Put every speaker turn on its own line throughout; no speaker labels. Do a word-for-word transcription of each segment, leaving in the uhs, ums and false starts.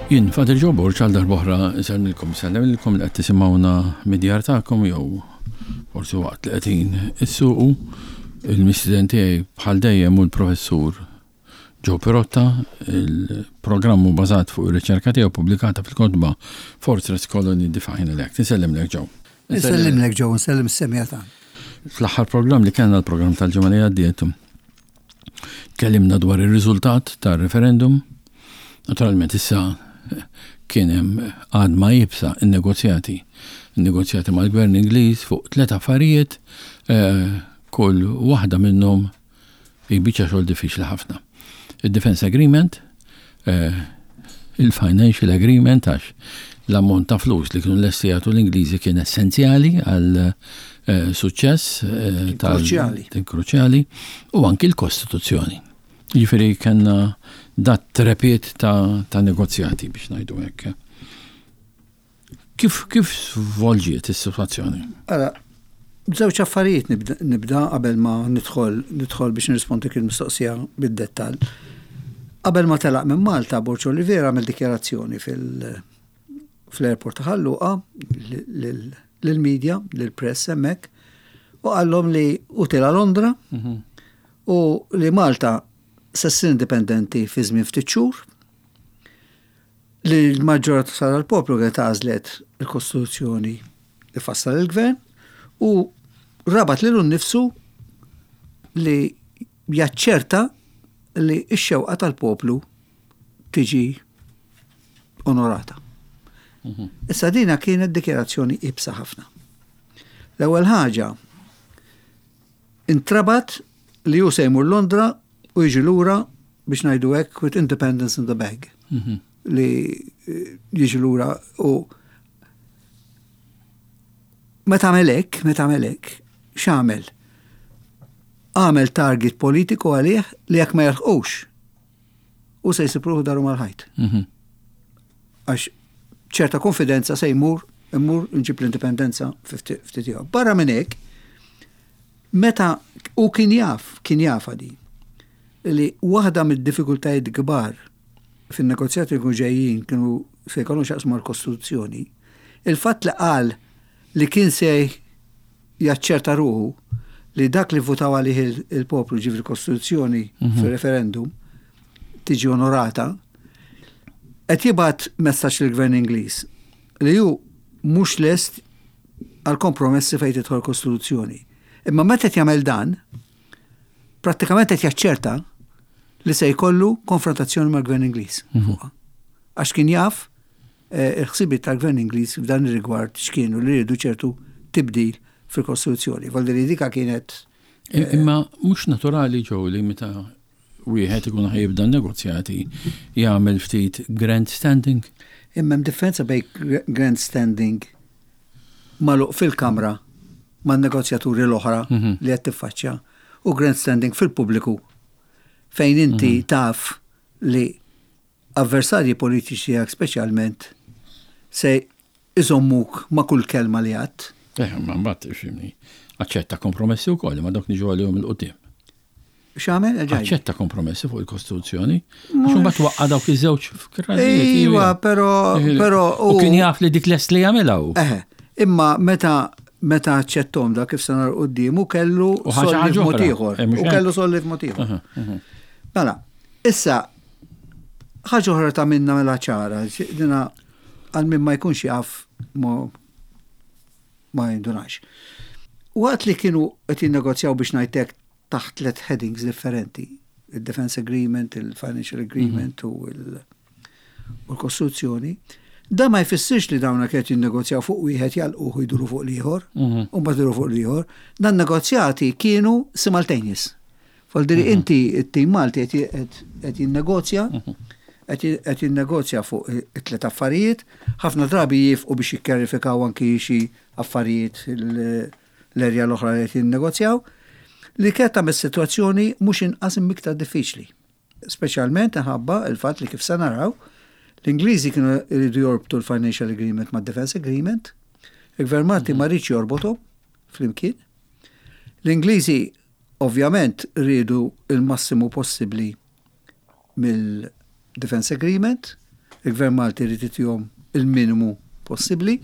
Jien, Father Joe Borg, għal darb'oħra nsellmilkom, nsellmilkom li qed tisimgħuna mid-djar tagħkom jew forsi waqt li qegħdin issuqu. Il-mistieden tiegħi bħal dejjem hu l-Professur Joe Pirotta. Il-programm hu bażat fuq ir-riċerka tiegħu pubblikata fil-kotba Fortress Colony: The Final Act. Insellimlek, Joe.
Insellimlek, Joe, insellem is-semmiegħa ta'
Fl-aħħar programm li kellna, l-programm tal-ġimgħa li għaddiet, tkellimna dwar ir-riżultat tar-referendum. Naturalment issa kien hemm għadma iebsa, in-negozjati. In-negozjati mal-Gvern Ingliż fuq tliet affarijiet, eh, kull waħda minnhom hi biċċa xogħol diffiċli ħafna. Il-Defense Agreement, eh, il-Financial Agreement, għax l-ammont ta' flus li kienu lesti jagħtu l-Ingliżi kien essenzjali għal eh, suċċess
tal
Kruċjali. Kruċjali, u anki l-Kostituzzjoni. Jiġifieri kellna dat trepied ta', ta' negozjati, biex ngħidu hekk. Kif kif svolġiet is-sitwazzjoni?
Ara, żewġ affarijiet nibda, nibda qabel ma nidħol nidħol biex nirrispondi il-mistoqsija bid-dettall. Qabel ma telaq minn Malta, Borg Olivier għamel dikjarazzjoni fil- fl-airport ta' Ħal Luqa lill-media, lill-press hemmhekk, u qallhom li hu telaq Londra u li Malta se ssir indipendenti fi żmien ftit xhur, li l-maġġoranza tal-poplu kienet għażlet il-Kostituzzjoni li fassal il-gvern, u rabat lilu nnifsu li jaċċerta li x-xewqa tal-poplu tiġi onorata. Issa dina kienet dikjarazzjoni iebsa ħafna. L-ewwel ħaġa, intrabat li hu se jmur Londra u jiġi lura, biex ngħidu hekk, with independence in the bag. Li eh, jiġi lura u meta għamel hekk, meta għamel hekk, x'għamel? Għamel target politiku għalih li jekk ma jilħqux u se jsib ruħu daru mal-ħajt. Għax ċerta konfidenza se jmur, immur nġib l-indipendenza ftit ieħor. Barra minn hekk, meta u kien jaf, kien jaf għadi, li waħda mid-diffikultajiet kbar fin-negozjati li kienu ġejjin kienu se jkollhom x'jaqsmu mal-Kostituzzjoni, il-fatt li qal li kien se jaċċerta ruħu li dak li votaw għalih il- il-poplu, ġifieri Kostituzzjoni fil-referendum, tiġi onorata, qed jibgħat messaġġ lill-Gvern Ingliż li hu mhux lest għal kompromessi fejn tidħol Kostituzzjoni. Imma meta qed jagħmel dan, prattikament qed jaċċerta li se jkollu konfrontazzjoni mal-Gvern Ingliż fuqha. Għax kien jaf eh, il-ħsibiet tal-Gvern Ingliż f'dan ir-rigward x'kienu, li rridu ċertu tibdil fil-Kostituzzjoni. Vuoldiri dika kienet
Imma mhux naturali, Joe, li meta wieħed ikun ħa jibda negozjati jagħmel ftit grandstanding?
Imma hemm differenza bejn grandstanding magħluq fil-kamra man negozjaturi l-oħra li qed tiffaċċja u grandstanding fil-pubbliku fejn inti taf li avversarji politiċi tiegħek speċjalment se iżommuk ma' kull kelma li għedt.
Eh, ma mbagħad ifhimni. Aċċetta kompromessi wkoll, ma dok niġu għalihom 'il quddiem.
X'għamel? Ġaj.
Aċċetta kompromessi fuq il-Kostituzzjoni. Għax imbagħad waqqa' dawk iż-żewġ frażijiet.
Iva, però però
U kien jaf li dik lest li jagħmilha hu.
Eħe, imma meta meta aċċettahom da, kif se nara quddiemu, kellu
U ħaġa
solli
ħaġa
f'mod
oħra.
ieħor.
Eh, mhux
U
hekk?
kellu solli f'mod ieħor. Mela, issa ħaġa oħra ta' minna mela ċara, dina għal min ma jkunx jaf mo ma jindunax. Waqt li kienu qed jinnegozjaw, biex ngħidlek, taħt tliet headings differenti, il-Defense Agreement, il-Financial Agreement u il- u l-Kostituzzjoni, da ma jfissirx li dawna kienu jinnegozjaw fuq wieħed, jagħlqu u jduru fuq l-ieħor, u mbagħad jduru fuq l-ieħor. Dan negozjati kienu simultaneous. Vuoldiri inti it-tim Malti qed qed jinnegozja, qed qed jinnegozja fuq it-tliet affarijiet, ħafna drabi jieqfu biex jikkjarifikaw anki xi affarijiet l- l-erja l-oħra li qed jinnegozjaw, li kienet tagħmel sitwazzjoni mhux inqas imma iktar diffiċli. Speċjalment minħabba il-fatt li, kif se naraw, l-Ingliżi kienu jridu jorbtu l-Financial Agreement ma' Defense Agreement, il-Gvern Malti ma riedx jorbothom flimkien. L-Ingliżi ovvjament rridu il-massimu possibbli mill-Defense Agreement. Il-Gvern Malti jrid itihom il-minimu possibbli.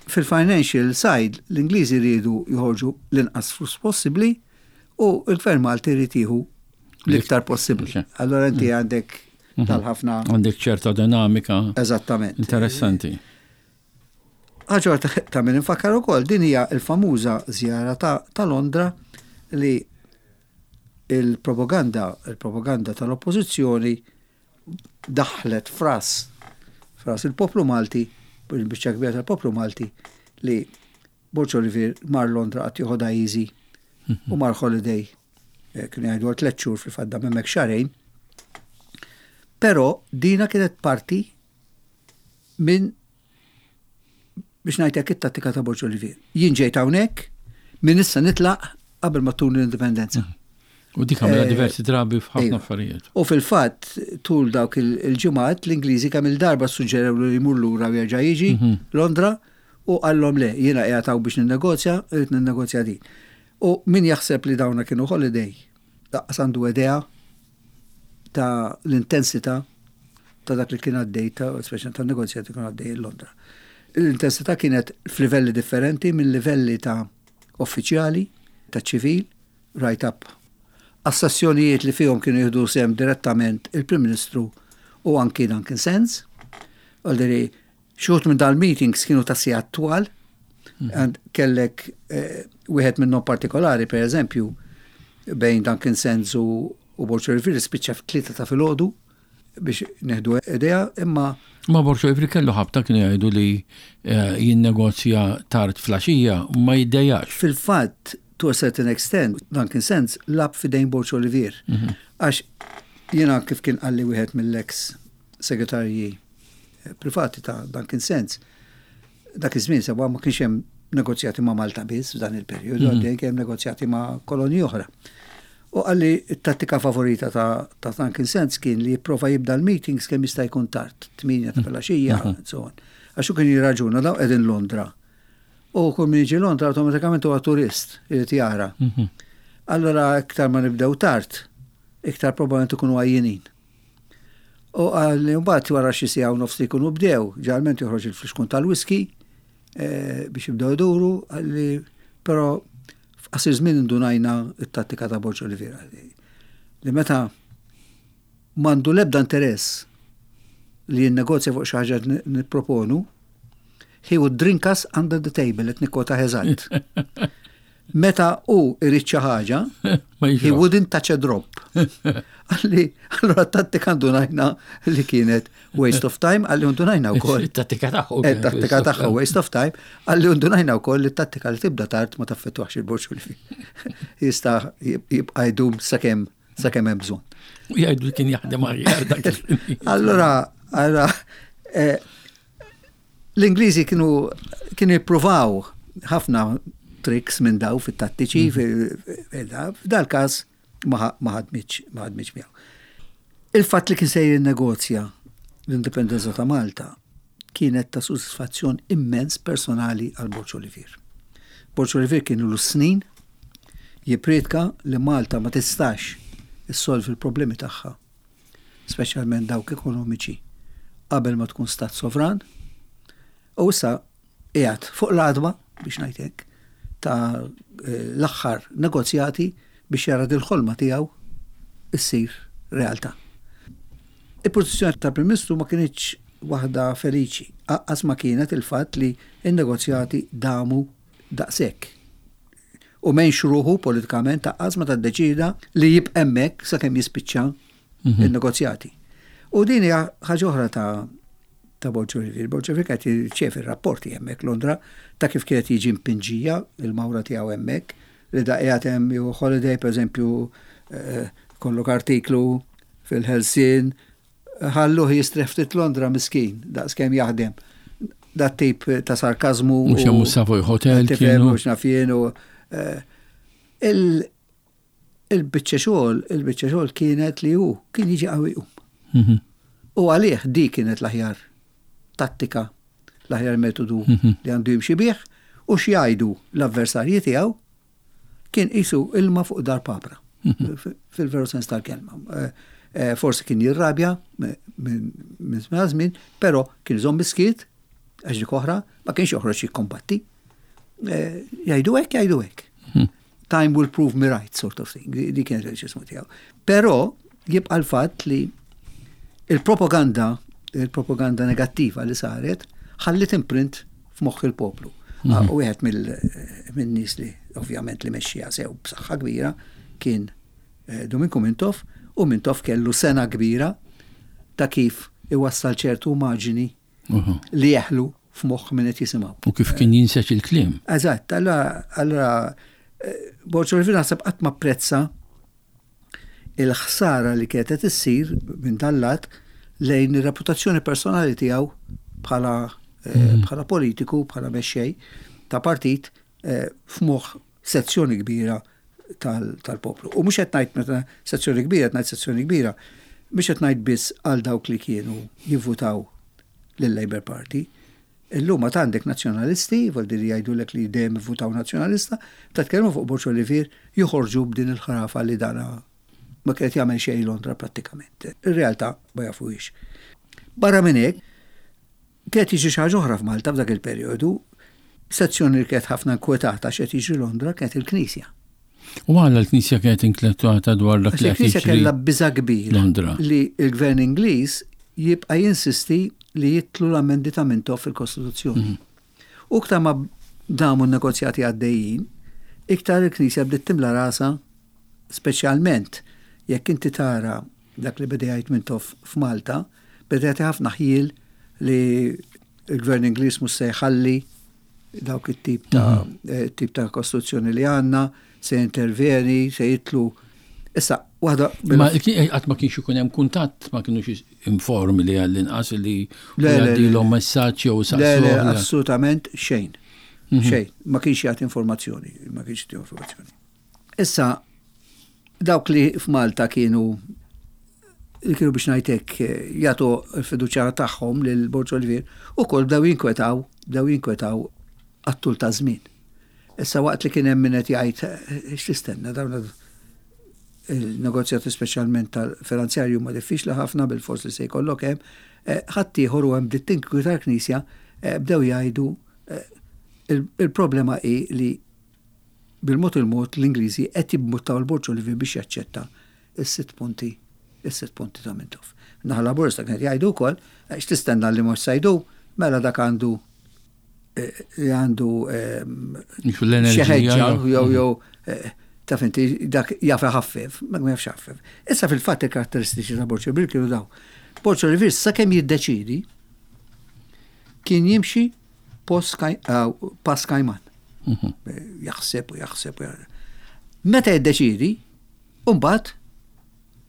Fil-financial side, l-Ingliżi jridu joħorġu l-inqas flus possibbli u il-Gvern Malti jrid jieħu l-iktar possibbli. Allora inti għandek tal-ħafna.
Għandek ċerta dinamika.
Eżattament.
Interessanti.
Ħaġa ta' min infakkar ukoll, din hija l-famuża żjara ta', ta' Londra li il-propaganda, il-propaganda tal-oppożizzjoni daħlet f'ras f'ras il-poplu Malti, il-biċċa kbira tal-poplu Malti, li Borg Olivier mar Londra għat joħodha easy u mar holiday, eh, kienu jgħidu għal tliet xhur, fil-fatt dam hemmhekk xahrejn. Però dina kienet parti minn, biex ngħidlek, it-tattika ta' Borg Olivier. Jien ġejt hawnhekk, minn issa nitlaq qabel ma ttuni l-indipendenza.
U dik għamilha
Eh,
diversi drabi f'ħafna
Iva.
affarijiet.
U fil-fatt, tul dawk il- il-ġimgħat, l-Ingliżi kemm il-darba suġġerew li jmur lura u jerġa' jiġi Londra u qallhom le, jiena qiegħed hawn biex ninnegozja, irrid ninnegozja din. U min jaħseb li dawna kienu holiday, lanqas għandu idea ta' l-intensità ta' dak li kien għaddej, ta' speċjalment ta' negozjati kienu għaddej Londra. L-intensità kienet f'livelli differenti, minn livelli ta' uffiċjali, ta' ċivil, right up għas-sessjonijiet li fihom kienu jieħdu sehem direttament il-Prim Ministru u anki Duncan Sands. Għalderi, xi wħud minn dal-meetings kienu ta' sigħat twal, and kellek eh, wieħed minnhom partikolari, per eżempju, bejn Duncan Sands u, u Borg Olivier spiċċa f'tlieta ta' filgħodu, biex nieħdu idea, imma
Ma Borg Olivier kellu ħabta, kienu jgħidu li eh, jinnegozja tard filgħaxija u ma jiddejjax.
Fil-fatt, to a certain extent, Duncan Sands lagħab f'idejn Borg Olivier. Għax jiena kif kien qalli wieħed mill-ex segretarji eh, privati ta' Duncan Sands, dak iż-żmien sewa ma kienx hemm negozjati ma' Malta biss f'dan il-perjodu, għaddej kien hemm negozjati ma' kolonji oħra. U qalli t-tattika favorita ta', ta' Duncan Sands kien li jipprova jibda l-meetings kemm jista' jkun tard, tmienja ta' filgħaxija, and so on. Għax hu kien jirraġuna, daw qegħdin Londra. U kull min jiġi Londra awtomatikament huwa turist, irid jara. Allora iktar ma nibdew tard, iktar probabbilment ikunu għajjenin. U qalli mbagħad wara xi siegħa u nofs li jkunu bdew, ġeneralment joħroġ il-flixkun tal-whisky eh, biex jibdew iduru, qalli però f'qasir żmien indunajna it-tattika ta' Borg Olivier. Li meta m'għandu l-ebda interess li jinnegozja fuq xi ħaġa li nipproponu, he would drink us under the table, qed nikkwota eżatt. Meta hu irid xi ħaġa,
Ma
he
jixrob.
wouldn't touch a drop. Qalli, allora tattika ndunajna li kienet waste of time, qalli ndunajna wkoll.
Il-tattika tagħhu.
Eh, tattika tagħha waste of time, qalli ndunajna wkoll li t-tattika li tibda tard ma taffettwax il-Borg li jista' jibqa' jdum sakemm sakemm hemm bżonn.
U jgħidu li kien jaħdem aħjar dak il-
Allora, allora, eh, l-Ingliżi kienu kienu jippruvaw ħafna tricks minn daw fit-tattiċi, f'dal każ ma ma ħadmitx ma ħadmitx miegħu. Il-fatt li kien se jinnegozja l-indipendenza ta' Malta kienet ta' sodisfazzjon immens personali għal Borg Olivier. Borg Olivier kienu l snin jippriedka li Malta ma tistax issolvi l-problemi tagħha, speċjalment dawk ekonomiċi, qabel ma tkun stat sovran. U issa qiegħed fuq l-għatba, biex ngħid hekk, ta' eh, l-aħħar negozjati biex jara dil-ħolma tiegħu issir realtà. Il-pożizzjoni tal-Prim Ministru ma kinitx waħda feliċi, anqas ma kienet il-fatt li n-negozjati damu daqshekk. U m'għenx ruħu politikament anqas meta ddeċida li jibqa' hemmhekk sakemm jispiċċa il-negozjati. U din hija ħaġa oħra ta' ta' Borg Olivier. Borg Olivier qed jirċievi rapporti hemmhekk Londra ta' kif kienet jiġi mpinġija il-mawra tiegħu hemmhekk, li da qiegħed hemm jew holiday, pereżempju, eh, kollok artiklu fil-Ħelsien, ħalluh jistrieħ ftit Londra miskin, daqs kemm jaħdem. Dat tip ta' sarkazmu.
Mhux hemm Savoy Hotel
Tifhem,
kienu.
mhux naf jien u eh, il- il-biċċa xogħol, il-biċċa xogħol kienet li hu kien jiġi qawwi jqum.
Mhm.
U għalih di kienet l-aħjar tattika, l-aħjar metodu
Mhm.
li għandu jimxi bih, u x'jgħidu l-avversarji tiegħu kien qisu ilma fuq dar papra.
Mhm.
Fil-veru sens tal-kelma. Eh, Eh, forsi kien jirrabja minn żmien żmien, però kien iżomm bis-skiet, għax dik oħra, ma kienx joħroġ jikkombatti. Eh, jgħidu hekk, jgħidu hekk. Hmm. Time will prove me right, sort of thing. Di kienet il-ġismu tiegħu. Però jibqa' l-fatt li il-propaganda, il-propaganda negattiva li saret, ħallit imprint f'moħħ il-poplu. Mhm. Ah, u wieħed mill-nies li ovvjament li mexxija sew b'saħħa kbira kien eh, Duminku Mintoff, u Mintoff kellu sena kbira ta' kif iwassal ċertu immaġini li jeħlu f'moħħ min qed jisimgħu.
U kif kien jinseġ il-kliem.
Eżatt, allora allora eh, Borg Olivier naħseb qatt ma apprezza il-ħsara li kienet qed issir minn dal-lat lejn ir-reputazzjoni personali tiegħu bħala eh, mhm. bħala politiku, bħala mexxej ta' partit eh, f'moħħ sezzjoni kbira tal-poplu. U mhux qed ngħid meta sezzjoni kbira, qed ngħid sezzjoni kbira, mhux qed ngħid biss għal dawk li kienu jivvutaw lill-Labour Party. Illum ma għandek nazzjonalisti, vuol dire jgħidulek li dejjem ivvutaw nazzjonalista, ta' tkellmu fuq Borg Olivier joħorġu b'din il-ħrafa li dana ma kienet jagħmel xejn Londra prattikament. Ir-realtà ma jafuhiex. Barra minn hekk, kienet jiġi xi ħaġa oħra f'Malta f'dak il-perjodu, sezzjoni li kienet ħafna inkwetata x'qed jiġri Londra kienet il-Knisja.
U għala l-Knisja kienet inkwetata dwar dak li
Il-Knisja kellha biża' kbir
Londra.
Li l-Gvern Ingliż jibqa' jinsisti li jitlu l-ammendi ta' Mintoff fil-Kostituzzjoni. Mhm. U iktar ma damu n-negozjati għaddejjin, iktar il-Knisja bdiet timla rasa, speċjalment jekk inti tara dak li beda jgħid Mintoff f'Malta, beda jagħti ħafna ħjiel li l-Gvern Ingliż mhux se jħalli dawk it-tip ta' mhm. eh, tip ta' kostituzzjoni li għandna, se interveni, se jitlu. Issa, waħda.
Ma qatt ma kienx ikun hemm kuntatt, ma kienux informi li għall-inqas li jgħaddilhom messaġġ jew
saqsu. Le, le, assolutament xejn. Mhm. Xejn, ma kienx jagħti informazzjoni, ma kienx jagħti informazzjoni. Issa, dawk li f'Malta kienu li kienu biex ngħidlek jagħtu l-fiduċja tagħhom lil Borg Olivier ukoll bdew jinkwetaw, bdew jinkwetaw għat-tul ta' żmien. Issa waqt li kien hemm min qed jgħid x'tistenna dawn il-negozjati speċjalment tal-finanzjarju ma diffiċli ħafna bil-fors li se jkollok hemm, eh, ħaddieħor u hemm bdiet tinkwita l-Knisja eh, bdew jgħidu eh, il-problema hi li bil-mod il-mod l-Ingliżi qed jibbuttaw il-Borg Olivier biex jaċċetta is-sitt punti is-sitt punti ta' Mintoff. Naħa Laburista kienet jgħidu wkoll x'tistenna li mhux se jdu, mela dak għandu li għandu
xi
ħeġġa jew jew taf inti dak jaf ħaffef, ma jafx ħaffef. Issa fil-fatt il-karatteristiċi ta' Borg Olivier kienu daw. Borg Olivier sakemm jiddeċidi kien jimxi pass kajman. Mhm. Jaħseb u jaħseb u jaħseb. Meta jiddeċidi, mbagħad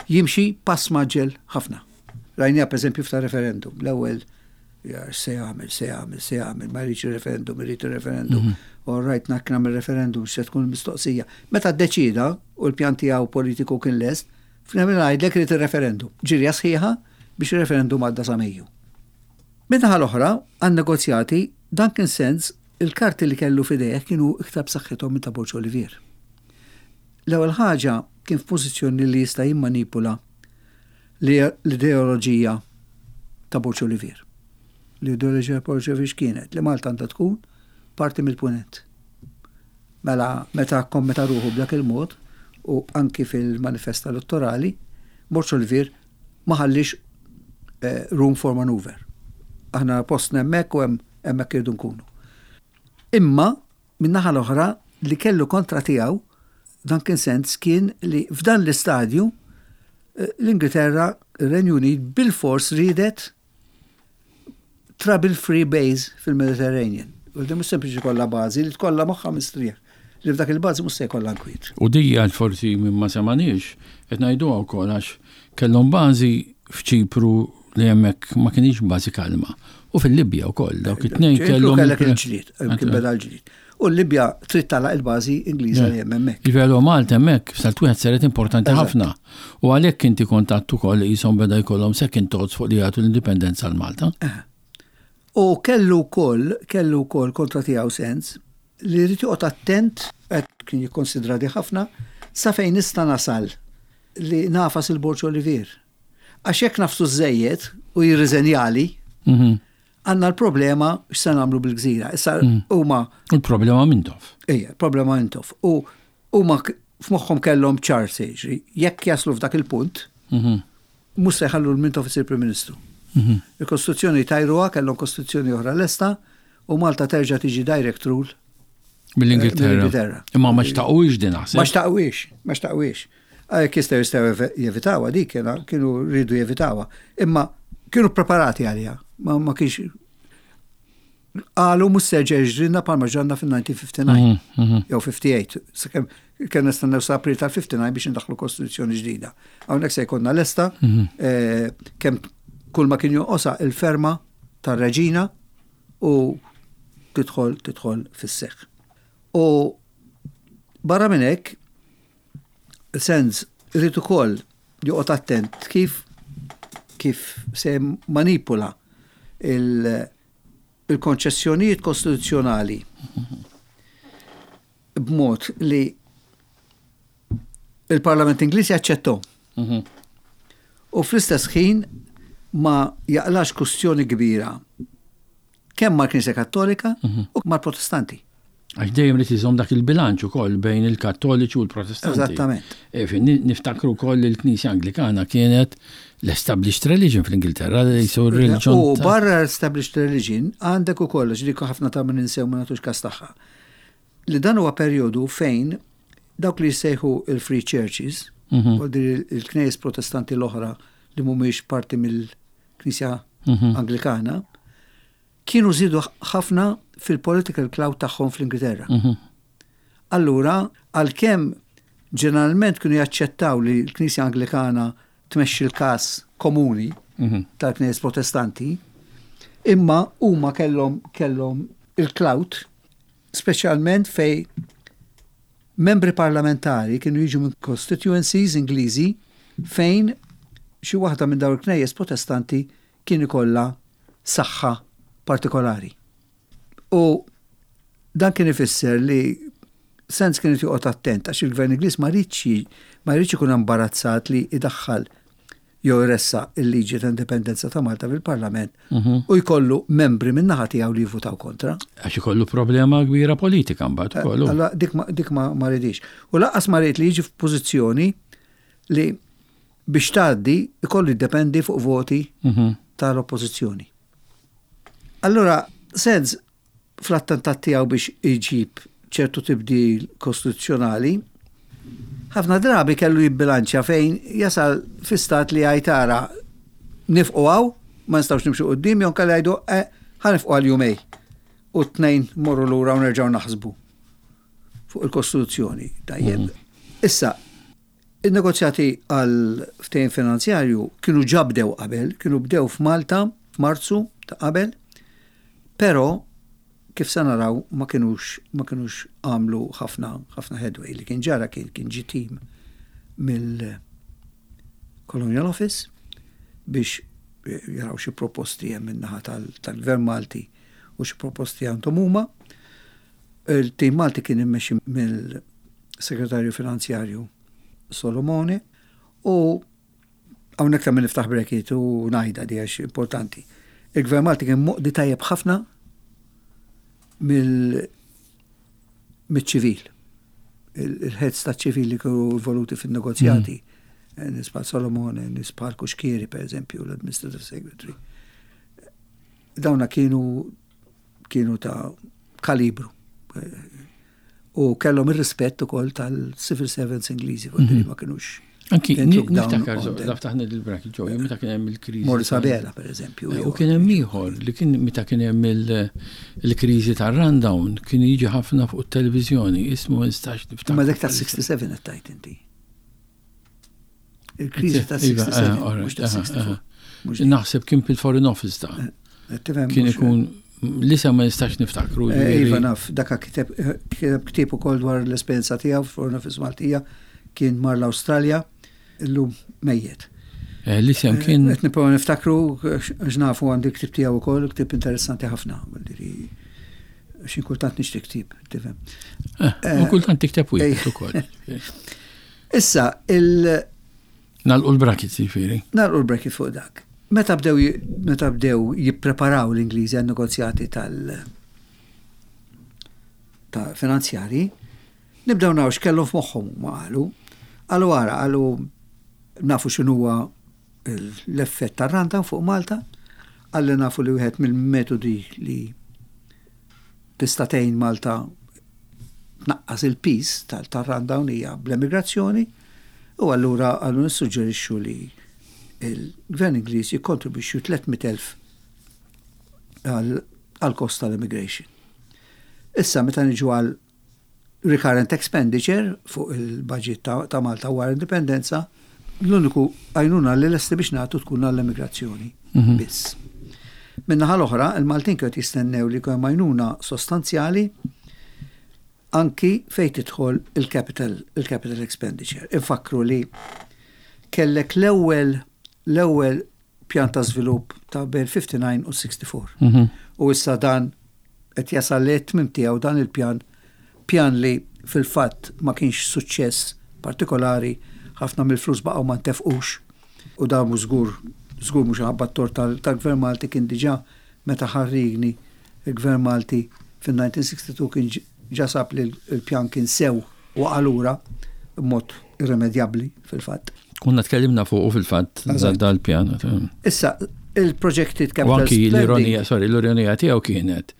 jimxi pass mgħaġġel ħafna. Rajnija per eżempju f'ta' referendum, l-ewwel se jagħmel, se jagħmel, se jagħmel, ma jridx referendum, irid referendum. Mhm. All right, nak nagħmel referendum, se tkun mistoqsija. Meta ddeċida u l-pjan tiegħu politiku kien lest, f'nemmen ngħidlek irid ir-referendum. Ġirja sħiħa biex ir-referendum għadda sa Mejju. Min-naħa l-oħra, għan-negozjati, Duncan Sands, il-karti li kellu f'idejh kienu iktar b'saħħithom minn ta' Borg Olivier. L-ewwel ħaġa kien f'pożizzjoni li jista' jimmanipula l-ideoloġija ta' Borg Olivier. L-ideoloġija ta' Borg Olivier kienet li Malta għandha tkun parti mill-punent. Mela meta kommetta ruħu b'dak il-mod u anki fil-manifest elettorali, Borg Olivier ma ħallix eh, room for maneuver. Aħna postna hemmhekk u hemmhekk irridu nkunu. Imma min-naħa l-oħra li kellu kontra tiegħu Duncan Sands kien li f'dan l-istadju eh, l-Ingilterra, ir-Renju Unit bil-fors ridet trouble free base fil-Mediterranean. U di mhux sempliċi kollha bażi, li tkollha moħħa mistrieħ li f'dak il-bażi mhux se jkollha nkwiet.
U di għal forsi minn ma semaniex, qed ngħiduha wkoll għax kellhom bażi f'Ċipru li hemmhekk ma kienx bażi kalma. U fil-Libja wkoll dawk it-tnejn
kellhom. Kellek il-ġlied, kien beda l-ġlied. U l-Libja trid tagħlaq il-bażi Ingliża li hemm hemmhekk.
Ġifieri Malta hemmhekk salt wieħed saret importanti ħafna. U għalhekk inti kontattu ukoll qishom beda jkollhom second thoughts fuq li jagħtu l-indipendenza għal Malta.
U kellu wkoll, kellu wkoll kontra tiegħu Sands li jrid joqgħod attent, qed kien jikkonsidra di ħafna, sa fejn nista' nasal li nagħfas il-Borg Olivier. Għax jekk nagħfsu żżejjed u jirriżenjali,
Mhm.
għandna l-problema x'se nagħmlu bil-gżira. Issa huma
U l-problema Mintoff.
Ejja, problema Mintoff. U huma k- f'moħħhom kellhom ċar se jiġri. Jekk jaslu f'dak il-punt,
Mhm.
mhux se jħallu l-Mintoff isir Prim Ministru.
Mhm.
Il-Kostituzzjoni tajruha, kellhom Kostituzzjoni oħra lesta u Malta terġa' tiġi direct rule
Mill-Ingilterra.
Mill-Ingilterra.
Imma ma xtaqux din naħseb.
Ma xtaqwix, ma xtaqwix. Jekk jistgħu jistgħu jevitawha dik kienu kienu rridu jevitawha. Imma kienu preparati għaliha. Ma, ma kienx qalu mhux se jiġrilna bħalma ġralna fil-elf disa' mija u ħamsa u ħamsin
Mhm, mhm.
jew ħamsa u ħamsin, sakemm kien nistennew sa April tal-ħamsa u ħamsin biex indaħlu kostituzzjoni ġdida. Hawnhekk se jkollna lesta eh, kemm kull ma kien jonqosha il-ferma tar-reġina u tidħol tidħol fis-seħħ. U barra minn hekk, Sands irid ukoll joqgħod attent kif kif se manipula il- il-konċessjonijiet kostituzzjonali b'mod li il-Parlament Ingliż jaċċettahom.
Mhm.
U fl-istess ħin ma jaqlax kustjoni kbira kemm mal-Knisja Kattolika u mal-Protestanti.
Għax dejjem li tiżomm dak il-bilanċ ukoll bejn il-Kattoliċi u l-Protestanti.
Eżattament.
E, fin- Niftakru wkoll li l-Knisja Anglikana kienet l-established religion fl-Ingilterra, li jisu religion.
U
ta'
barra established religion għandek ukoll ġieli ħafna ta' minn ninsew ma nagħtux kas tagħha. Li dan huwa perjodu fejn dawk li jsejħu il-Free Churches,
Mhm.
u il-knejjes protestanti l-oħra li mhumiex parti mill-Knisja
Mhm.
Anglikana, kienu żidu ħafna fil-political clout tagħhom fl-Ingilterra.
Mhm.
Allura, għalkemm ġeneralment kienu jaċċettaw li l-Knisja Anglikana tmexxi l-kas komuni
Mhm.
tal-Knejjes Protestanti, imma huma kellhom kellhom il-clout, speċjalment fej membri parlamentari kienu jiġu minn constituencies Ingliżi fejn xi waħda minn dawn il-knejjes protestanti kien ikollha saħħa partikolari. U dan kien ifisser li Sands kien joqgħod attent għax il-Gvern Ingliż ma riedx ma riedx ikun imbarazzat li idaħħal jew jressaq il-liġi ta' indipendenza ta' Malta fil-Parlament
Mhm.
u jkollu membri min-naħa tiegħu li jivvutaw kontra.
Għax ikollu problema kbira politika mbagħad ukoll.
Allora dik ma, dik ma, ma ridix. U lanqas ma ried li jiġi f'pożizzjoni li biex tgħaddi ikollu jiddependi fuq voti
Mhm.
tal-oppożizzjoni. Allora, Sands fl-attentat tiegħu biex iġib ċertu tibdil kostituzzjonali, ħafna drabi kellu jibbilanċja fejn jasal fi stat li għajtara nieqfu hawn, ma nistgħux nimxu quddiem, jew kellu jgħidu eh, ħa nieqfu għal jumejn u t-tnejn morru lura u nerġgħu naħsbu fuq il-Kostituzzjoni. Tajjeb. Issa, il-negozjati għal ftehim finanzjarju kienu ġa bdew qabel, kienu bdew f'Malta f'Marzu ta' qabel, però kif se naraw ma kienux ma kienux għamlu ħafna ħafna headway li kien ġara kien kien ġi team mill Colonial Office biex jaraw xi proposti hemm min-naħa tal-Gvern Malti u xi proposti għandhom huma. Il-tim Malti kien immexxi mill-Segretarju Finanzjarju Solomone u hawnhekk ta' min niftaħ bracket u ngħidha di għax importanti. Il-Gvern Malti kien moqdi tajjeb ħafna mill mill-ċivil. Il-heads ta' ċivil li kienu involuti fin-negozjati. Mm. Nies bħal Solomone, nies bħal Cuschieri, per eżempju, l-Administrative Secretary. Dawna kienu kienu ta' kalibru. U kellhom ir-rispett ukoll tal-civil servants Ingliżi, mm -hmm. ma kienux.
Anki, niftakar, ftaħna il-bracket ġo, meta kien hemm il-kriżi.
Morris Abela, per eżempju.
U kien hemm ieħor li kien meta kien hemm il-kriżi tar-rundown kien jiġi ħafna fuq it-televiżjoni, ismu nistax niftakar.
Ma dak ta' sitta u sittin qed tgħid inti. Il-kriżi ta' sitta u sittin, mhux ta' sitta u sebgħin.
Naħseb kien fil-Foreign Office ta' kien ikun l-isem ma nistax niftakru.
Iva naf, daka kiteb ktieb ukoll dwar l-esperjenza tiegħu Foreign Office Maltija, kien mar l-Awstralja, illum mejjet.
L-isem kien.
Qed nipprova niftakru għax nafu għandi ktieb tiegħu ukoll, ktieb interessanti ħafna. Xi kultant nixtri ktieb, tifhem.
U kultant tikteb wieħed ukoll.
Issa, il-
Nagħlqu l-bracket, jiġifieri.
Nagħlqu l-bracket fuq dak. Meta bdew meta bdew jippreparaw l-Ingliżi għan negozjati tal ta' finanzjari, nibdew naraw x'kellhom f'moħħhom, ma qalu. Qalu ara, qalu nafu x'inhuwa l-effett tar-rundown fuq Malta, għalli nafu li wieħed mill-metodi li tista' tgħin Malta tnaqqas il-piż tal-rundown hija bl-emigrazzjoni, u allura għallu nissuġġerixxu li il-Gvern Ingliż jikkontribwixxu tliet mitt elf għal kost tal-immigration. Issa, meta niġu għal recurrent expenditure fuq il-budget ta', ta Malta wara indipendenza, l-uniku għajnuna li lesti biex nagħtu tkun għall-immigrazzjoni mhm. biss. Min-naħa l-oħra, il-Maltin kienu jistennew li jkun għajnuna sostanzjali anki fejn tidħol il-capital il-capital expenditure. Infakru li kellek l-ewwel l-ewwel pjan ta' żvilupp ta' bejn ħamsa u ħamsin u sitta u sittin. Mhm. U issa dan qed jasal li tmim tiegħu dan il-pjan, pjan li fil-fatt ma kienx suċċess partikolari, ħafna mill-flus baqgħu ma ntefqux u dan mhux żgur żgur mhux ħabba tort tal-Gvern Malti. Kien diġà meta ħarrigni il-Gvern Malti fil-elf disa' mija u sitta u sittin kien ġa sab li l-pjan kien sew u allura b'mod irremedjabbli fil-fatt.
Konna tkellimna fuq fil-fatt dal-pjan.
Issa, il-projected
capital. Anki l-ironija, sorry, l-ironija tiegħu kienet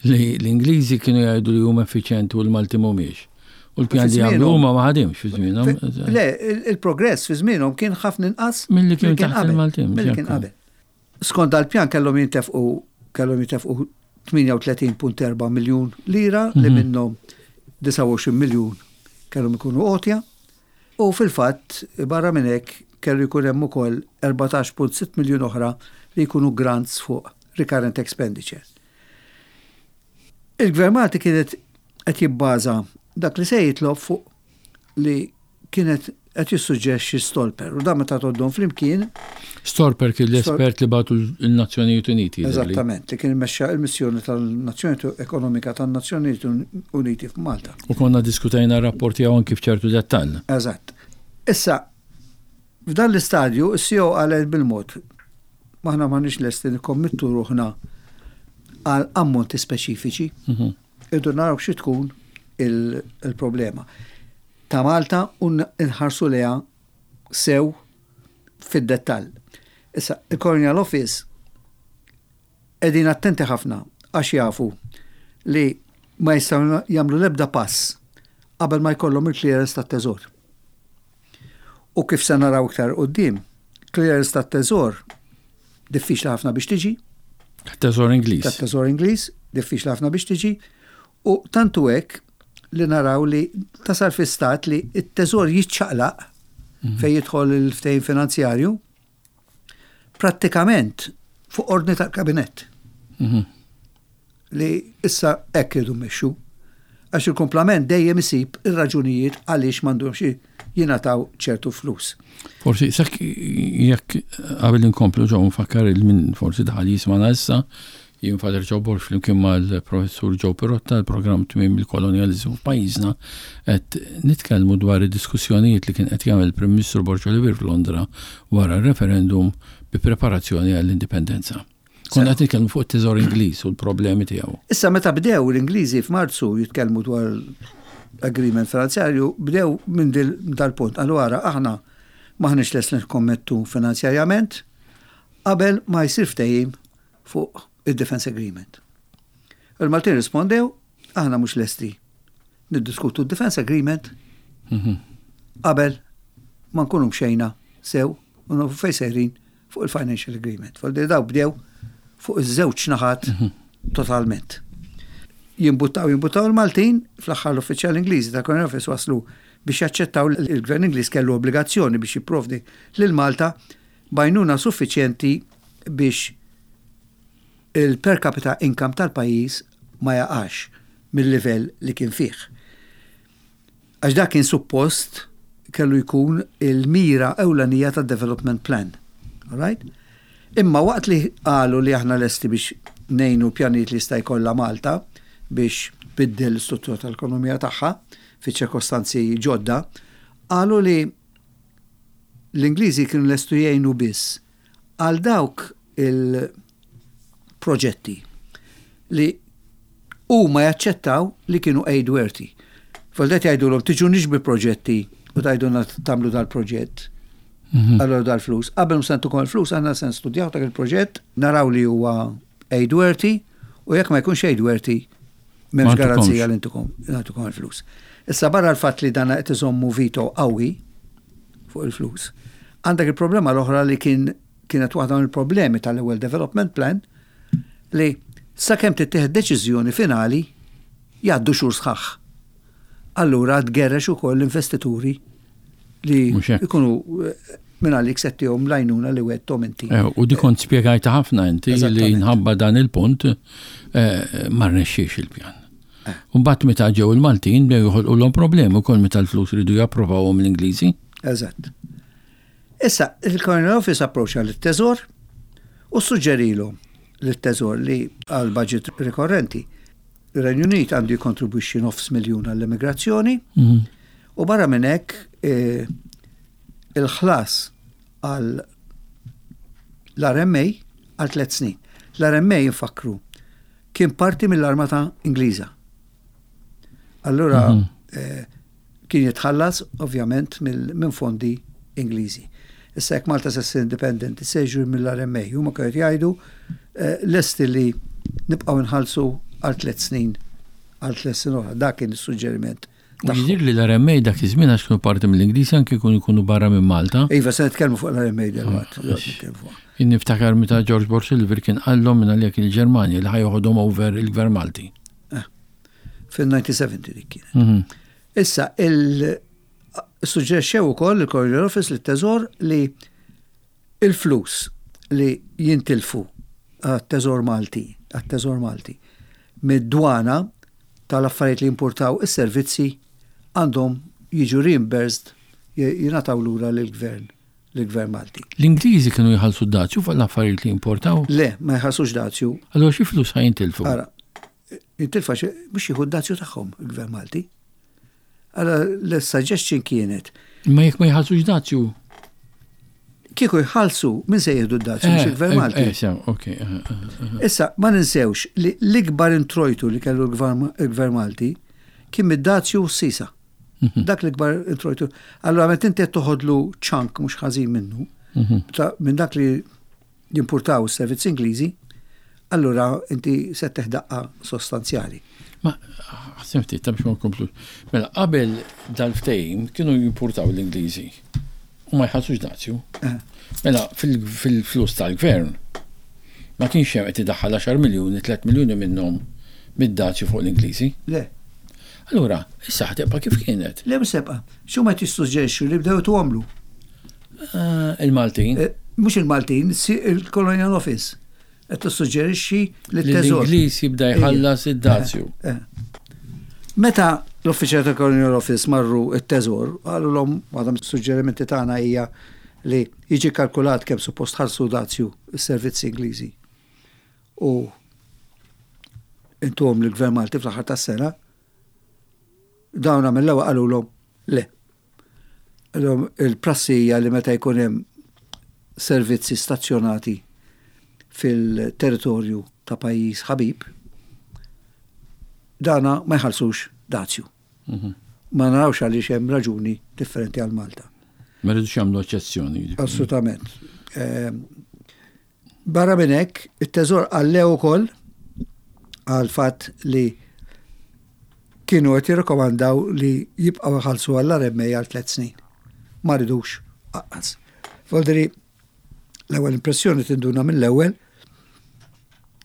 li l-Ingliżi kienu jgħidu li huma effiċjenti u l-Malti mhumiex. U l-pjan li għamlu huma ma ħadimx fi żmienhom.
Le, il-progress fi żmienhom kien ħafna inqas
milli kien taħt il-Maltin.
Milli kien qabel. Skont dal-pjan kellhom jintefqu kellhom jintefqu tmienja u tletin punt erba' miljun lira li mhm. minnhom disgħa u għoxrin miljun kellhom ikunu għotja. U fil-fatt barra minn hekk kellu jkun hemm ukoll erbatax punt sitta miljun oħra li jkunu grants fuq recurrent expenditure. Il-Gvern Malti kienet qed jibbaża dak li se jitlob fuq li kienet qed jissuġġerixxi Stolper u dan meta tgħoddhom flimkien.
Stolper kien l-espert li bagħtu l-Nazzjonijiet Uniti.
Eżattament, li kien mexxa il-missjoni tal-Nazzjonijiet Ekonomika tan-Nazzjonijiet Uniti f'Malta.
U konna diskutajna rapporti hawn kif ċertu dettall.
Eżatt. Issa, f'dan l-istadju, is-C O qalet bil-mod, aħna m'aħniex lesti nikkommittu ruħna għal ammonti speċifiċi. Mhm. Irridu naraw xi tkun il-problema ta' Malta u nħarsu leha sew fid-dettall. Issa, il-Colonial Office qegħdin attenti ħafna għax jafu li ma jistgħu jagħmlu l-ebda pass qabel ma jkollhom il-clearance tat-teżor. U kif se naraw iktar quddiem, clearance tat-teżor diffiċli ħafna biex tiġi.
Teżor Ingliż.
Tat-teżor Ingliż, diffiċli ħafna biex tiġi. U tantu hekk li naraw li tasal fi stat li it-teżor jiċċaqlaq mhm. fej jidħol il-ftehim finanzjarju prattikament fuq ordni tal-kabinett. Mhm. Li issa hekk irridu mmexxu. Għax il-komplament dejjem isib ir-raġunijiet għaliex m'għandhomx jingħataw ċertu flus.
Forsi, sak jekk qabel inkomplu ġo nfakkar il-min forsi daħal jismana issa, jien Father Joe Borg flimkien mal-professur Joe Pirotta, l-programm Tmiem il-Kolonjaliżmu f'pajjiżna, qed nitkellmu dwar id-diskussjonijiet li kien qed jagħmel il-Prim Ministru Borg Olivier f'Londra wara r-referendum bi preparazzjoni għall-indipendenza. Konna qed nitkellmu fuq it-teżor Ingliż u l-problemi tiegħu.
Issa, meta bdew l-Ingliżi f'Marzu jitkellmu dwar agreement finanzjarju, bdew minn dal-punt. Allura aħna m'aħniex lesti nikkommettu finanzjarjament qabel ma jsir ftehim fuq il-Defense Agreement. Il-Maltin rispondew, aħna mhux lesti niddiskutu d-Defense Agreement mhm. qabel ma nkunu mxejna sew u nafu fej sejrin fuq il-Financial Agreement. Fal daw bdew fuq iż-żewġ naħat mhm. totalment. Jimbuttaw, jimbuttaw il-Maltin, fl-aħħar l-uffiċjal Ingliżi ta' Colonial Office waslu biex jaċċettaw il-Gvern Ingliż kellu obbligazzjoni biex jipprovdi lil Malta b'għajnuna suffiċjenti biex il-per capita income tal-pajjiż ma jaqax mill-livell li kien fih. Għax dak kien suppost kellu jkun il-mira ewlenija tad development plan. All right? Imma waqt li qalu li aħna lesti biex ngħinu pjanijiet li jista' jkollha Malta biex biddel l-istruttura tal-ekonomija tagħha fi ċirkostanzi ġodda, qalu li L-Ingliżi kienu lestu jgħinu biss għal dawk il-proġetti li huma jaċċettaw li kienu aid worthy. Foldet jgħidulhom tiġuniex bi proġetti u tgħidulna tagħmlu dal-proġett.
Mhm.
Allora dal-flus. Qabel ma ntukom il-flus, għandna se nstudjaw dak il-proġett, naraw li huwa aid worthy u jekk ma jkunx aid worthy,
Ma
m'hemmx
ntukomx.
garanzija li ntukom nagħtukom il-flus. Issa barra l-fatt li dana qed iżommu veto qawwi fuq il-flus. Għandek il-problema l-oħra li kien kienet waħda mill-problemi tal-ewwel development plan li sakemm tittieħed deċiżjoni finali jgħaddu xhur sħaħ. Allura tgerrex ukoll l-investituri li
Mhux hekk.
ikunu eh, minn għalik se ttihom l-għajnuna li wegħedthom inti.
Eh, U di kont spjegajta ħafna inti li
Eżattament.
nħabba dan il-punt eh, ma rnexxiex il-pjan.
Eh.
Mbagħad meta ġew il-Maltin bdew joħolqulhom problemi wkoll meta l-flus ridu japprovawhom l-Ingliżi.
Eżatt. Issa, il-Colonial Office approċċa l-Teżor u suġġerilu l-Teżor li għal budget rikorrenti. Il-Renju Unit għandu jikontribwixxi nofs miljun għall-immigrazzjoni
Mhm.
u barra minn hekk eh, il-ħlas għal l-R M A għal tliet snin. L-R M A, infakru, kien parti mill-armata Ingliża. Allura
Mhm.
eh, kien jitħallas ovvjament mill- minn fondi Ingliżi. Issa jekk Malta se ssir independenti se jiġu mill-R M A, huma kienu jgħidu eh, lesti li nibqgħu nħallsu għal tliet snin, għal tliet snin oħra. Dak kien is-suġġeriment
U
tagħhom.
jidir li l-R M A dak iż-żmien, għax kienu parti mill-Ingliżi, anke jkunu jkunu barra minn Malta.
Iva, se nitkellmu fuq l-R M A delwaqt.
Ah, għax- Jien niftakar meta George Borg Silver kien qallhom minn għalih il-Ġermanja li ħa joħodhom over il-Gvern Malti.
Fil-elf disa' mija u sebgħin dik kienet.
Mhm.
Issa, il-suġġerixxew ukoll il-Colonial Office lit-Teżor li il-flus li jintilfu għat-Teżor Malti, għat-Teżor Malti, mid-dwana tal-affarijiet li importaw is-servizzi għandhom jiġu reimbursed, jingħataw lura lill-gvern, lill-gvern Malti.
L-Ingliżi kienu jħallsu dazju fuq l-affarijiet li importaw.
Le, ma jħallsux dazju.
Allora xi flus ħa jintilfu?
Ara, jintilfa biex jieħu d-dazju tagħhom il-gvern Malti. Allora l-suggestion kienet
Imma jekk ma jħallsux dazju.
Kieku jħallsu, min se jieħdu d-dazju, mhux il-gvern Malti?
Eh, sew, ok. eh, eh, eh.
Issa, ma ninsewx li l-ikbar introjtu li kellu l-gvern il-gvern Malti kien mid-dazju u s-sisa.
Mhm.
Dak l-ikbar introjtu. Allora, meta inti qed toħodlu chunk mhux ħażin minnu,
Mhm.
ta' minn dak li jimportaw s-servizzi Ingliżi, allura inti se ttih daqqa sostanzjali.
Ma, ħassem ftit, ta' biex ma nkomplux. Mela, qabel dal-ftehim kienu jimportaw l-Ingliżi u ma jħallsux dazju.
Eh.
Mela, fil- fil-flus tal-gvern ma kienx hemm qed idaħħal għaxar miljuni, tliet miljuni minnhom mid-dazju fuq l-Ingliżi.
Le,
Allura, issa ħa tibqa' kif kienet.
Le msebqa, xu ma tissuġġerixxu li bdew tugħamlu.
Ah, il-Maltin.
Eh, Mhux il-Maltin, si- il-Colonial Office. Qed tissuġġerixxi li
Li
t-Teżor.
l-Ingliż jibda jħallas id-dazju.
Eh. Meta l-uffiċjal tal Colonial Office marru it-Teżor, qalulhom waħda mis-suġġerimenti tagħna hija li jiġi kalkulat kemm suppost ħallsu dazju s-servizzi Ingliżi. U intuhom l-Gvern Malti fl-aħħar tas-sena, dawn mill-ewwel qalulhom le. Qalulhom il-prassi hija li meta jkun hemm servizzi stazzjonati fil-territorju ta' pajjiż ħabib, dana ma jħallsux dazju.
Mhm.
Ma narawx għaliex hemm raġuni differenti għal Malta.
Ma rridux jagħmlu eċċezzjoni.
Assolutament. Ehm, Barra minn hekk, it-Teżor qallu ukoll għal fatt li kienu qed jirrikomandaw li jibqgħu jħallsu għall-R M A għal tliet snin. Ma ridux aqqas. Voldiri, l-ewwel impressjoni tinduna mill-ewwel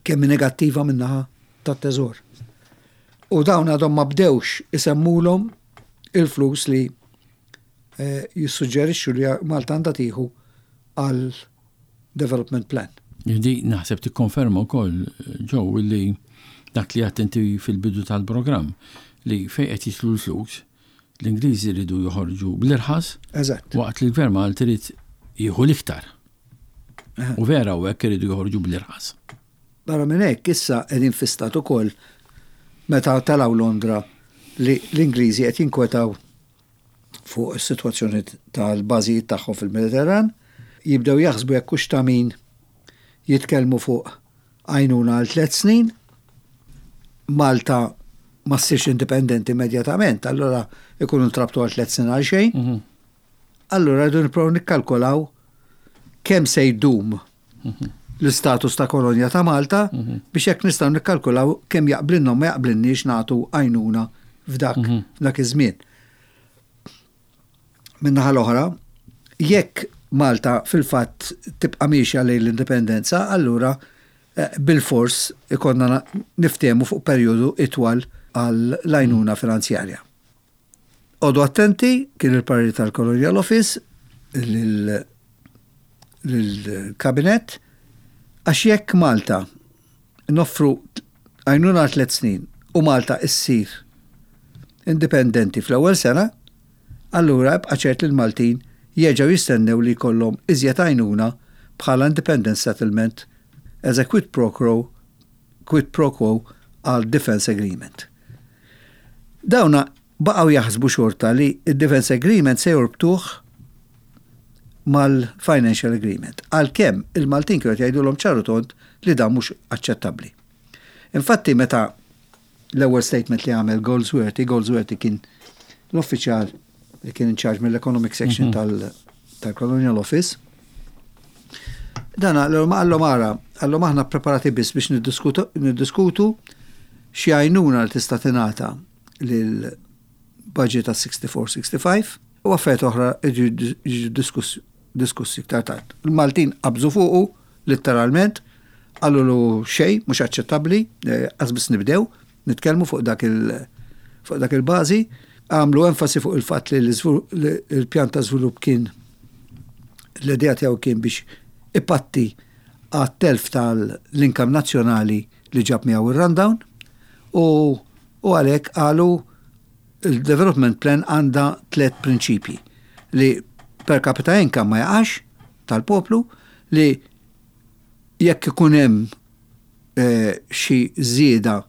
kemm negattiva min-naħa tat-Teżor. U dawn għadhom ma bdewx isemmulhom il-flus li eh, jissuġġerixxu li Malta għandha tieħu għal development plan.
Di naħseb tikkonferma wkoll, Joe, li dak li għedt inti fil-bidu tal-programm li fejn qed jidħlu l-flus, l-Ingliżi jridu joħorġu bl-irħas
Eżatt.
waqt li l-Gvern Malti irid jieħu l-iktar. U vera u hekk iridu joħorġu bl-irħas.
Barra minn hekk issa qegħdin fi stat ukoll meta telgħu Londra li l-Ingliżi qed jinkwetaw fuq is-sitwazzjoni tal-bażijiet tagħhom fil-Mediterran, jibdew jaħsbu jekk hux ta' min jitkellmu fuq għajnuna għal tliet snin, Malta ma ssirx indipendenti immedjatament, allora ikunu ntrabtu għal tliet snin għal xejn.
Mhm.
Allora rridu nipprovaw nikkalkolaw kemm se jdum l-istatus ta' kolonja ta' Malta biex jekk nistgħu nikkalkulaw kemm jaqblinna u ma jaqblinniex nagħtu għajnuna f'dak f'dak iż-żmien. Min-naħa l-oħra, jekk Malta fil-fatt tibqa' miexja lejn l-indipendenza, allura eh, bil-fors ikonna na- niftehmu fuq perjodu itwal għal l-għajnuna finanzjarja. Oqogħdu attenti, kien il-parir tal-Colonial Office lil- lill-kabinet, għax jekk Malta noffru għajnuna għal tliet snin u Malta issir indipendenti fl-ewwel sena, allura ibqa' ċert li l-Maltin jerġgħu jistennew li jkollhom iżjed għajnuna bħala independence settlement as a quid pro quo, quid pro quo għal Defense Agreement. Dawna baqgħu jaħsbu xorta li il-Defense Agreement se jorbtuh mal-Financial Agreement. Għalkemm il-Maltin kienu jgħidulhom ċar u tond li dan mhux aċċettabbli. Infatti meta l-ewwel statement li għamel Goldsworthy, Goldsworthy kien l-uffiċjal li kien in charge mill-Economic Section tal- tal-Colonial Office. Dan għallhom għallhom ara, għallhom aħna preparati biss biex niddiskutu niddiskutu xi għajnuna li tista' tingħata lil budget ta' siħstifur siħstifajf u affarijiet oħra jiġu jiġu diskussi diskussi iktar tard. Il-Maltin qabżu fuqu letteralment, qalulu xejn, mhux aċċettabbli, eh, biss nibdew, nitkellmu fuq dak il fuq dak il-bażi, għamlu enfasi fuq il-fatt li l-iżvul- li il-pjan ta' żvilupp kien l-idea tiegħu kien biex ipatti għat-telf tal-income nazzjonali li ġab miegħu ir-rundown u u għalhekk qalu il-development plan għandha tliet prinċipji: li per capita income ma jaqax tal-poplu, li jekk ikun hemm eh, xi żieda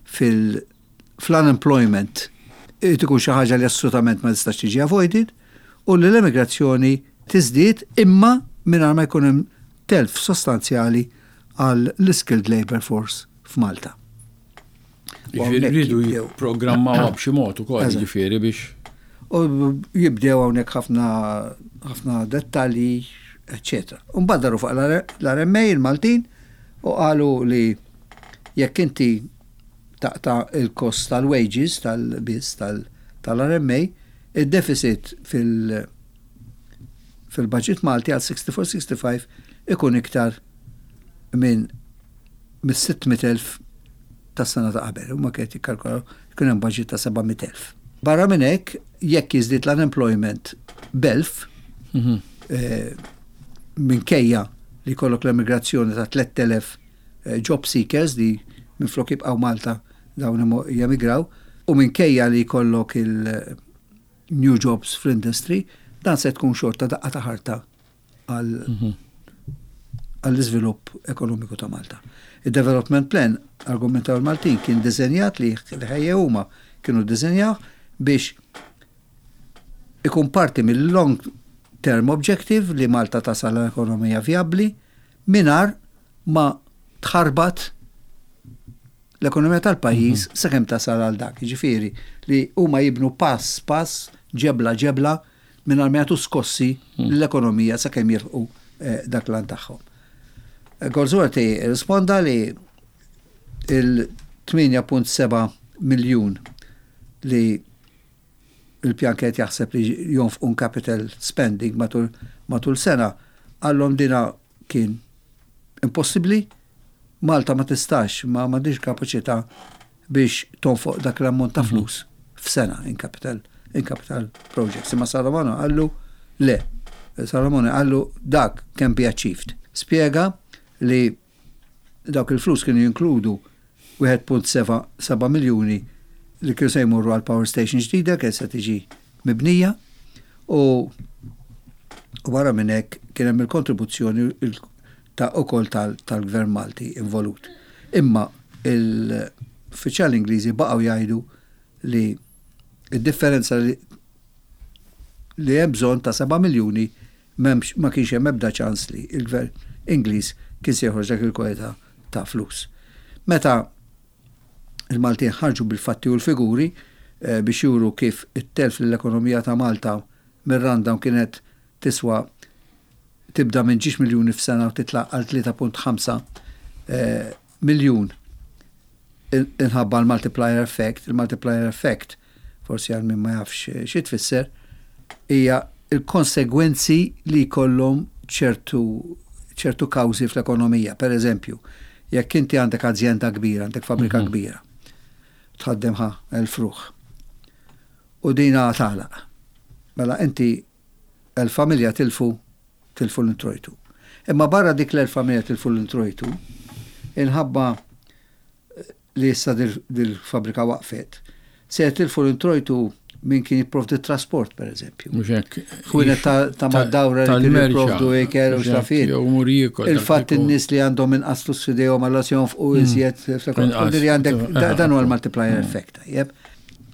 fil fl-unemployment eh, tkun xi ħaġa li assolutament ma tistax tiġi avoided u li l-emigrazzjoni tiżdied imma mingħajr ma jkun hemm telf sostanzjali għal l-skilled labor force f'Malta. U
Jiġifieri
hawnhekk
rridu
jibdew.
jipprogrammaw b'xi mod ukoll,
Eżatt.
jiġifieri biex.
U jibdew hawnhekk ħafna ħafna dettalji, eċċetera. Mbagħad daru fuq l-R M A il-Maltin u qalu li jekk inti taqta' il-kost tal-wages tal-biss tal-R M A, il-deficit fil- fil-budget Malti għal siħstifur siħstifajf ikun iktar minn mis-sitt mitt elf tas-sena ta' qabel. Huma kienet jikkalkulaw ikun hemm budget ta' seba' mitt elf. Barra minn hekk, jekk jiżdied l-unemployment b'elf,
Mhm.
eh, minkejja li jkollok l-emigrazzjoni ta' tlett elef eh, job seekers li minflok jibqgħu Malta dawn imo- jemigraw, u minkejja li jkollok il-new jobs fl-industry, dan se tkun xorta daqqa ta' ħarta għal
Mhm.
għall-iżvilupp ekonomiku ta' Malta. Il-development plan, argumentaw il-Maltin, kien diżenjat li li ħejjew huma kienu diżenjaw biex ikun parti mill-long term objective li Malta tasal l-ekonomija viabli mingħajr ma tħarbat l-ekonomija tal-pajjiż sakemm tasal għal dak. Jiġifieri li huma jibnu pass pass, ġebla ġebla, mingħajr ma jagħtu skossi l-ekonomija sakemm jilħqu eh, dak l tagħhom. Goldsworthy risponda li il-tmienja punt seba' miljun li il-pjan kienet jaħseb li jonfqu capital spending matul, matul sena, għallhom dina kien impossibbli, Malta ma tistax, ma m'għandix kapaċità biex tonfoq dak l-ammont ta' flus f'sena in capital, in capital projects. Imma Salomone qallu le, Salomone qallu dak can be achieved. Spiega li dawk il-flus kienu jinkludu wieħed punt seba' miljuni li kienu se jmurru għal power station ġdida kien se tiġi mibnija u u barra minn hekk kien hemm il-kontribuzzjoni il- ta' ukoll tal-Gvern Malti involut. Imma il-uffiċjali Ingliżi baqgħu jgħidu li id-differenza li li hemm bżonn ta' seba' miljuni, m'hemmx, ma kienx hemm ebda ċans li il-gvern Ingliż kien se joħroġ dak il-kwalità ta' flus. Meta il-Maltin ħarġu bil-fatti u l-figuri eh, biex juru kif it-telf l-ekonomija ta' Malta mir-rundown kienet tiswa tibda minn ġiex miljuni f'sena u titla' għal tlieta punt ħamsa eh, miljun inħabba l-multiplier effect. Il-multiplier effect, forsi għal min ma jafx xi tfisser, hija il-konsegwenzi li jkollhom ċertu ċertu kawżi fl-ekonomija. Per eżempju, jekk inti għandek azjenda kbira, għandek fabrika mhm. kbira, tħaddem ħa elf ruħ. U dina tagħlaq. Mela inti elf familja tilfu tilfu l-introjtu. Imma barra dik l-elf familja tilfu l-introjtu, inħabba li issa dil-fabrika waqfet, se tilfu l-introjtu min kien jipprovdi trasport, per eżempju. Ħwienet ta' mad-dawra li kien jipprovdu ikel u xrafin. Il-fatt in-nies li għandhom inqas flus f'idejhom għalla se jonfqu mm. iżjed, li għandek dan huwa l-multiplier mm. effect.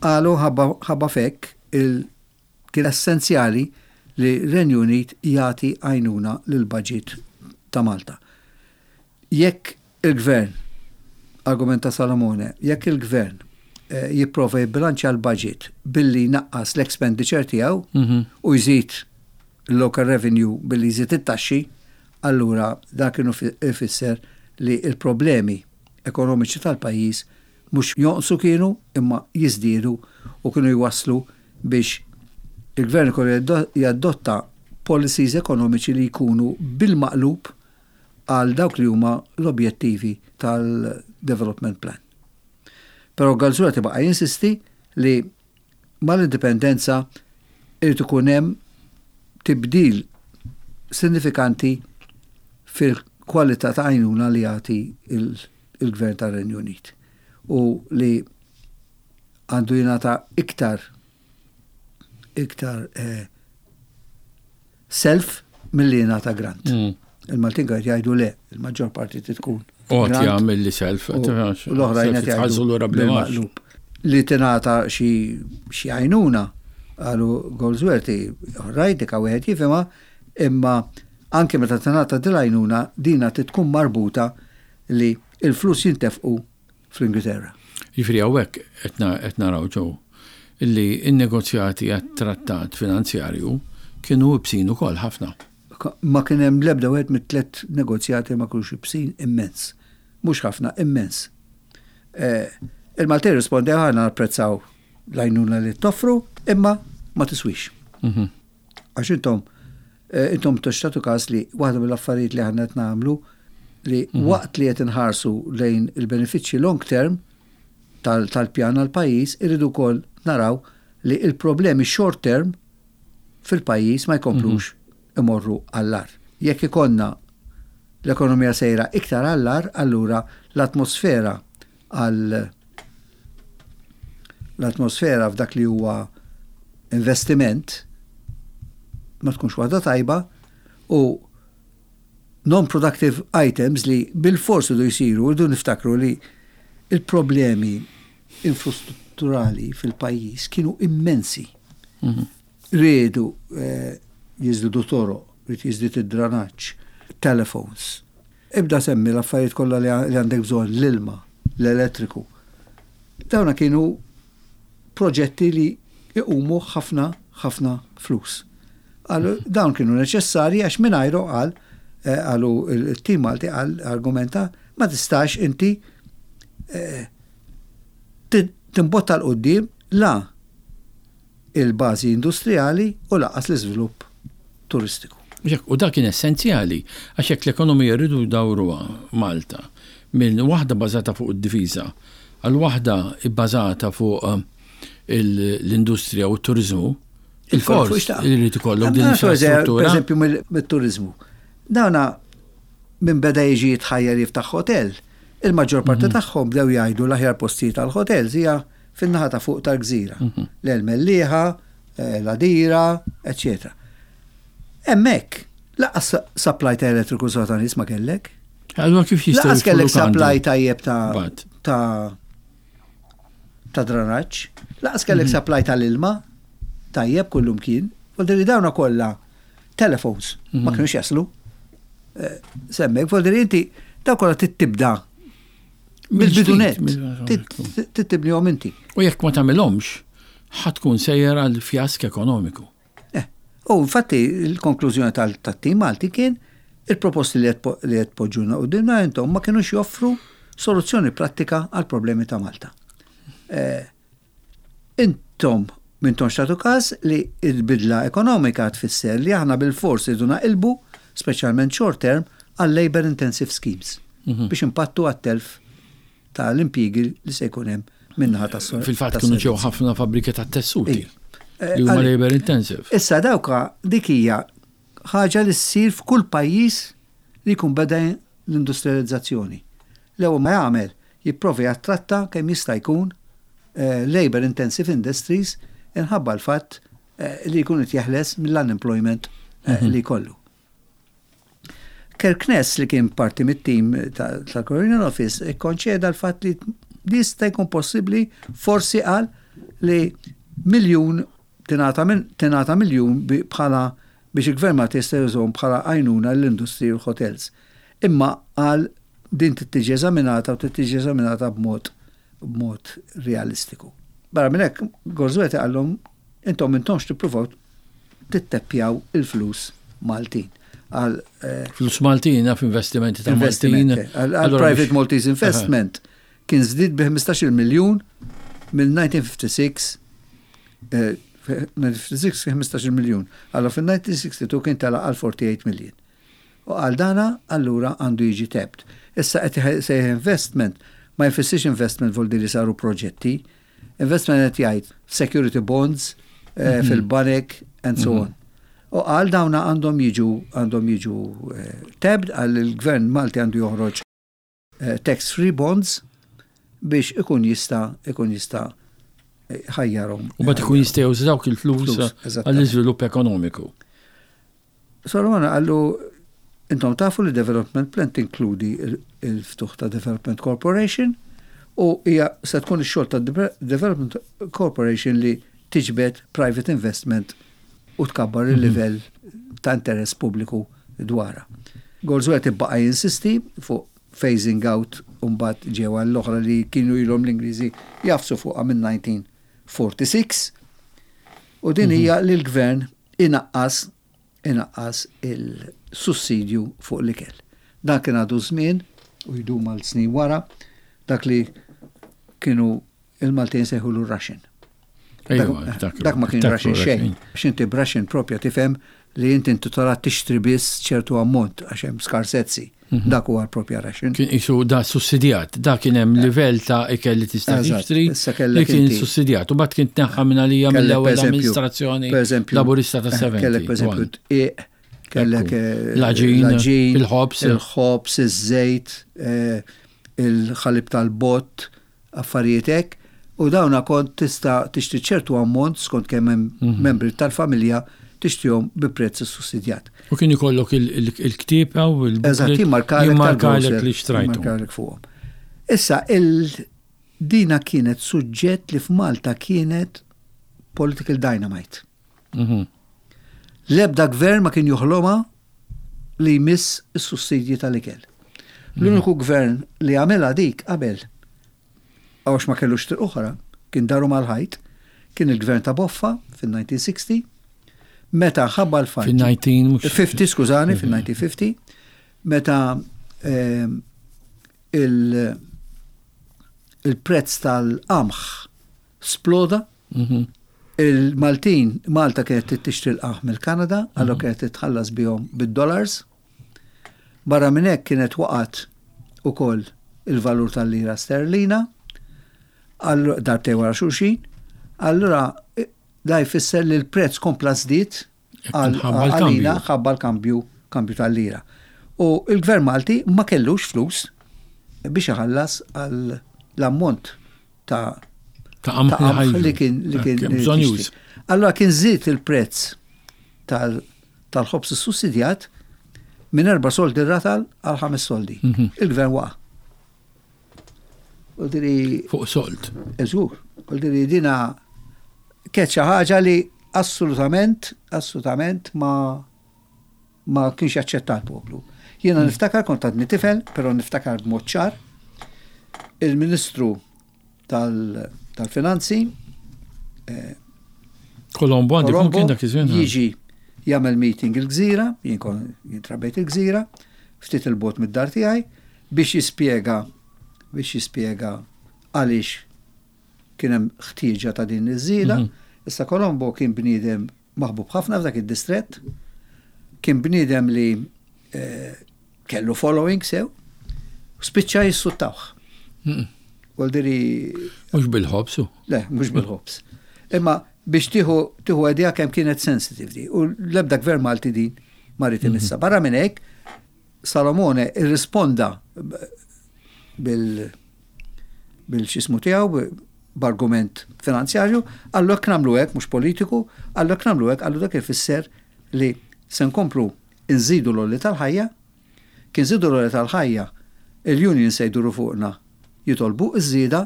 Qalu ħabba f'hekk kien essenzjali li Renju Unit jagħti għajnuna lil budget ta' Malta. Jekk il-gvern, argumenta Salamone, jekk il-gvern eh, jipprova jibbilanċja l-budget billi naqqas l-expenditure tiegħu mhm. u jżid local revenue billi jżid it-taxxi, allura dak kienu ifisser li il-problemi ekonomiċi tal-pajjiż mhux jonqsu kienu imma jiżdiedu u kienu jwaslu biex il-gvern ikollu jadotta policies ekonomiċi li jkunu bil-maqlub għal dawk li huma l-objettivi tal-development plan. Però Goldsworthy baqa' jinsisti li mal-indipendenza irid ikun hemm tibdil sinifikanti fil-kwalità ta' għajnuna li jagħti il-gvern tar-Renju Unit u li għandu jingħata iktar iktar eh, self milli jingħata grant. Mm. Il-Maltin qed jgħidu le, il-maġġor parti tkun.
Għotja milli self.
U l-oħrajn qed jgħidu bil-maqlub. Li tingħata xi għajnuna, qalu Goldsworthy, rajt dik wieħed jifhimha, imma anke meta tingħata dil-għajnuna dina tkun marbuta li il-flus jintefqu fl-Ingilterra.
Jiġifieri hawnhekk qed naraw ġew illi n-negozjati għat-trattat finanzjarju kienu ibsin ukoll ħafna.
Ma kien hemm l-ebda wieħed mit-tliet negozjati ma kienux ibsin immens. Mhux ħafna, immens. Eh, Il-Maltin rispondew, aħna napprezzaw l-għajnuna li toffru, imma ma tiswix. Mhm. Għax intom, eh, intom tagħtu kas li waħda mill-affarijiet li aħna qed nagħmlu li mhm. waqt li qed inħarsu lejn il-benefiċċji long term tal-pjan għal-pajjiż, irridu wkoll naraw li il-problemi short term fil-pajjiż ma jkomplux mhm. imorru għall-agħar. Jekk ikollna l-ekonomija sejra iktar għall-agħar, allura l-atmosfera għal l-atmosfera f'dak li huwa investiment ma tkunx waħda tajba u non-productive items li bil-forsi du jisiru, rridu niftakru li il-problemi infrastrutturali fil-pajjiż kienu immensi. Mhm. Riedu eh, jiżdiedu toroq, ried jiżdied id-dranaġġ, telephones. Ibda semmi l-affarijiet kollha li għandek bżonn, l-ilma, l-elettriku. Dawna kienu proġetti li iqumu ħafna ħafna flus. Għalu, dawn kienu neċessarji għax mingħajru, qal, eh, qalu il-tim Malti, qal argumenta, ma tistax inti eh, timbotta 'l quddiem la il-bażi industrijali u lanqas l-iżvilupp turistiku.
U dak kien essenzjali, għax jekk l-ekonomija rridu dawruha Malta minn waħda bażata fuq id-difiża għal waħda bbażata fuq eh, l-industrija u t-turizmu, il-fors irid ikollok din
infrastruttura. Per eżempju, mit-turizmu. Dawna minn beda jiġi jitħajjar jiftaħ hotel, il-maġġor parti mhm. tagħhom bdew jgħidu l-aħjar postijiet tal-hotels hija fin-naħa ta' fuq tal-gżira. Mhm. L-Mellieħa, eh, l-Għadira, eċċetera. Hemmhekk, lanqas supply ta' elettriku sota nies ma kellek.
Allura kif jistgħu
Lanqas kellek supply tajjeb ta' ta' ta' dranaġġ, lanqas kellek mhm. supply tal-ilma tajjeb kullum kien Vuol dire dawna kollha telephones ma mhm. kienux jaslu. Eh, semmek, vuol dire inti daw kollha tibda mill-bidunet, tibnihom inti.
U jekk ma tagħmilhomx, ħa tkun sejjer għal fjask ekonomiku.
Eh, u infatti il-konklużjoni tal-tim Malti kien il-proposti li qed poġġuna qudiemna intom ma kienux joffru soluzzjoni prattika għal problemi ta' Malta. Eh, intom m'intomx tagħtu każ li il-bidla ekonomika tfisser li aħna bil-fors irridu naqilbu, speċjalment short term, għal labor intensive schemes mhm. biex impattu għat-telf tal-impjiegi li se jkun hemm minnaħa tas
Fil-fatt kienu ġew ħafna fabbriki ta' tessuti li huma labor intensive.
Issa dawka dik hija ħaġa li ssir f'kull pajjiż li jkun beda l-industrializzazzjoni. L-ewwel ma jagħmel jipprovi jattratta kemm jista' jkun eh, labor intensive industries inħabba l-fatt eh, li jkun qed jeħles mill-unemployment eh, mhm. li kollu. Kirkness, li kien parti mit-tim tal-Colonial Office, ikkonċeda l-fatt li jista' jkun possibbli, forsi qal li miljun tingħata miljun bħala biex il-gvern ma jista' jużhom bħala għajnuna l-industri u l-hotels. Imma qal din tiġi eżaminata u tiġi eżaminata b'mod b'mod realistiku. Barra minn hekk, Goldsworthy qallhom intom intomx tippruvaw titteppjaw il-flus Maltin.
Għal eh, flus Maltin f'investimenti ta' Maltin.
Għal Private Maltese Investment kien żdied bi ħmistax-il miljun mill-elf disa' mija u ħamsa u sittax, elf disa' mija u ħamsa u sittin ħmistax-il miljun. Allora fil-elf disa' mija u sittaw u sebgħin kien tela għal erbgħa u erbgħin miljun. U għal dana allura għandu jiġi tapped. Issa qed sejħ investment ma jfissirx investment vol li saru proġetti. Investment qed jgħid security bonds eh, mhm. fil-banek and so mhm. on. U għal dawna għandhom jiġu għandhom jiġu eh, tapped, għal il-gvern Malti għandu joħroġ eh, tax-free bonds biex ikun jista' ikun jista' ħajjarhom.
U bat ikun jista' juża dawk il-flus għall-iżvilupp ekonomiku.
Solomon qallu intom tafu li Development Plan tinkludi il-ftuħ ta' Development Corporation u hija se tkun ix-xogħol ta' Development Corporation li tiġbed private investment u tkabbar il-livell ta' interess pubbliku dwarha. Goldsworthy baqa' jinsisti fuq phasing out, mbagħad ġew l-oħra li kienu ilhom l-Ingliżi jagħfsu fuqha minn elf disa' mija u sittaw u erbgħin u din hija li l-gvern inaqqas inaqqas il-sussidju fuq l-ikel. Dan kien għadu żmien u jdum għal snin wara dak li kienu il-Maltin sejħulu ration. Dak ma kien ration xejn. X'inti b'ration propja tifhem li inti intitolat tixtri biss ċertu ammont għax hemm skarsezzi. Mhm. Dak huwa l-propja ration.
Kien isu da sussidjat, da kien hemm livell ta' ikel li tista' tixtri li kien sussidjat. U bat kien tneħħa minn għalija mill-ewwel amministrazzjoni laburista ta' sebgħin.
Kellek pereżempju dqiq, kellek eh,
l-għaġin, il-ħobs,
il-ħobs, iż-żejt, eh, il-ħalib tal-bott, affarijiet hekk. U dawna kont tista' tixtri ċertu ammont skont kemm hemm mhm. membri tal-familja, tixtrihom bi prezz sussidjat.
U kien ikollok il-ktieb u
il Eżatt,
jimmarkalek li xtrajtu.
Jimmarkalek fuqhom. Issa, il-dina kienet suġġett li f'Malta kienet political dynamite. Mhm. L-ebda gvern ma kien joħloma li jmiss is-sussidji tal-ikel. L-uniku gvern li għamela dik qabel, għax ma kellux triq oħra, kien daru mal-ħajt, kien il-gvern ta' Boffa fil-elf disa' mija u sittaw, meta ħabba l-fatt.
Fil-elf disa' mija
ħamsin, skużani, fil-elf disa' mija u ħamsin, meta ehm, il-prezz tal-qamħ sploda, mhm. il-Maltin, Malta kienet tixtri l-qamħ mill-Kanada, għallu mhm. kienet titħallas bihom bid-dollars. Barra minn hekk kienet waqgħet ukoll il-valur tal-lira sterlina, darbtejn wara xulxin, allura da jfisser li l-prezz kompla żdied għalina ħabba l-kambju kambju tal-lira. U il-gvern Malti ma kellux flus biex iħallas għal l-ammont ta'
ta' qamħ
li kien li kien. Allora kien żied il-prezz tal-ħobs sussidjat minn erba' soldi ratal għal ħames soldi. Mhm. Il-gvern waqa'.
Fuq sold.
Eżgur. U dina kienet xi ħaġa li assolutament, assolutament ma ma kienx jaċċetta l-poplu. Jiena mm. niftakar, kont għadni tifel, però niftakar b'mod ċar, il-Ministru tal-Finanzi
eh, Colombo, għandi kien dak iż-żmien.
Jiġi jagħmel meeting il-Gżira, jien kont jintrabejt il-Gżira, ftit il-bogħod mid-dar tiegħi, biex jispjega biex jispjega għaliex kien hemm ħtieġa ta' din iż-żieda. Mhm. Issa Colombo kien bniedem maħbub ħafna f'dak id-distrett, kien bniedem li eh, kellu following sew, spiċċa jissuttawh. Mhm. Voldiri.
Mhux bil-ħobs.
Le, mhux bil-ħobs. Imma biex tieħu tieħu idea kemm kienet sensitive di. U l-ebda gvern Malti din ma ried imissha. Mhm. Barra minn hekk, Salomone irrisponda bil bil-xismu tiegħu b'argument finanzjarju, għallu jekk nagħmlu hekk, mhux politiku, għallu jekk nagħmlu hekk, għallu dak ifisser li se nkomplu nżidu l-għoli tal-ħajja, kien nżidu l-għoli tal-ħajja, il-union se jduru fuqna jitolbu iż-żieda